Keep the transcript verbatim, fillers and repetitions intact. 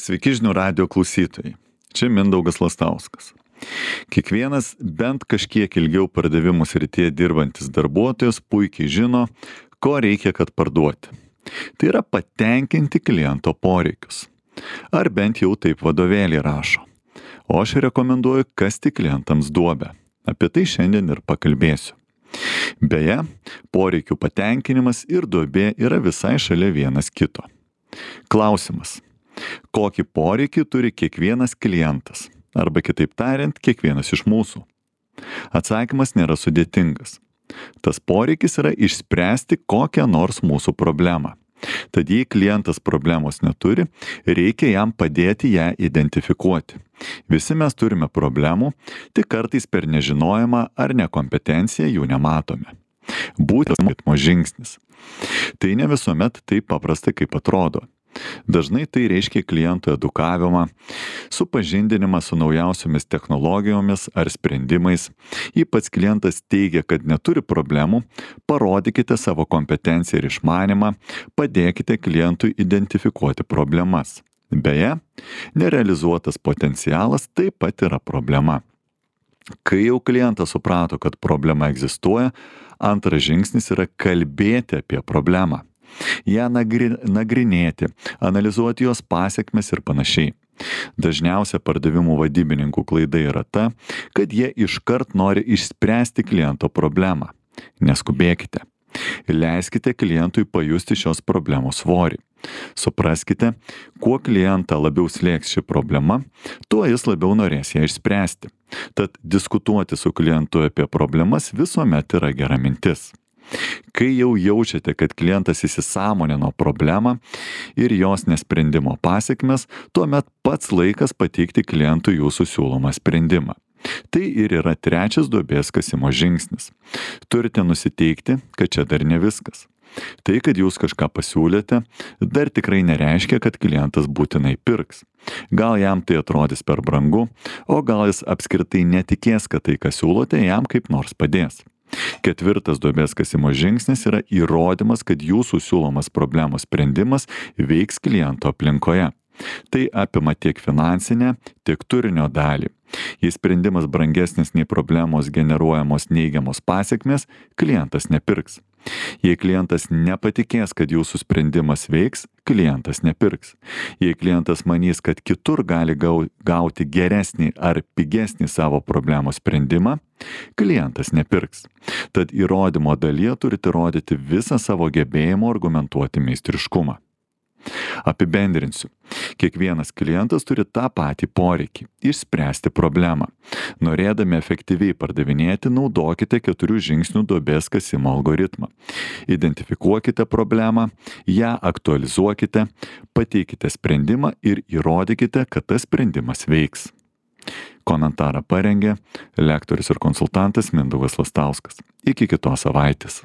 Sveiki žinių radijo klausytojai. Čia Mindaugas Lastauskas. Kiekvienas bent kažkiek ilgiau pardavimų srityje dirbantis darbuotojas puikiai žino, ko reikia, kad parduoti. Tai yra patenkinti kliento poreikius. Ar bent jau taip vadovėlį rašo. O aš rekomenduoju kasti klientams duobę. Apie tai šiandien ir pakalbėsiu. Beje, poreikių patenkinimas ir duobė yra visai šalia vienas kito. Klausimas. Kokį poreikį turi kiekvienas klientas? Arba kitaip tariant, kiekvienas iš mūsų? Atsakymas nėra sudėtingas. Tas poreikis yra išspręsti kokią nors mūsų problemą. Tad jei klientas problemos neturi, reikia jam padėti ją identifikuoti. Visi mes turime problemų, tik kartais per nežinojimą ar nekompetenciją jų nematome. Būtent ritmo žingsnis. Tai ne visuomet taip paprasta, kaip atrodo. Dažnai tai reiškia klientų edukavimą, supažindinimą su naujausiomis technologijomis ar sprendimais. Jei pats klientas teigia, kad neturi problemų, parodykite savo kompetenciją ir išmanymą, padėkite klientui identifikuoti problemas. Beje, nerealizuotas potencialas taip pat yra problema. Kai jau klientas suprato, kad problema egzistuoja, antras žingsnis yra kalbėti apie problemą. Ją nagri, nagrinėti, analizuoti jos pasekmes ir panašiai. Dažniausia pardavimų vadybininkų klaida yra ta, kad jie iškart nori išspręsti kliento problemą. Neskubėkite. Leiskite klientui pajusti šios problemos svorį. Supraskite, kuo klientą labiau slėgs ši problema, tuo jis labiau norės ją išspręsti. Tad diskutuoti su klientu apie problemas visuomet yra gera mintis. Kai jau jaučiate, kad klientas įsisąmonino problemą ir jos nesprendimo pasekmes, tuomet pats laikas pateikti klientui jūsų siūlomą sprendimą. Tai ir yra trečias duobės kasimo žingsnis. Turite nusiteikti, kad čia dar ne viskas. Tai, kad jūs kažką pasiūlėte, dar tikrai nereiškia, kad klientas būtinai pirks. Gal jam tai atrodys per brangu, o gal jis apskritai netikės, kad tai, ką siūlote, jam kaip nors padės. Ketvirtas duobės kasimo žingsnis yra įrodymas, kad jūsų siūlomas problemos sprendimas veiks kliento aplinkoje. Tai apima tiek finansinę, tiek turinio dalį. Jei sprendimas brangesnis nei problemos generuojamos neigiamos pasekmės, klientas nepirks. Jei klientas nepatikės, kad jūsų sprendimas veiks, klientas nepirks. Jei klientas manys, kad kitur gali gauti geresnį ar pigesnį savo problemos sprendimą, klientas nepirks. Tad įrodymo dalyje turite rodyti visą savo gebėjimo argumentuoti meistriškumą. Apibendrinsiu. Kiekvienas klientas turi tą patį poreikį – išspręsti problemą. Norėdami efektyviai pardavinėti, naudokite keturių žingsnių duobės kasimo algoritmą. Identifikuokite problemą, ją aktualizuokite, pateikite sprendimą ir įrodykite, kad tas sprendimas veiks. Komentarą parengė lektorius ir konsultantas Mindaugas Lastauskas. Iki kitos savaitės.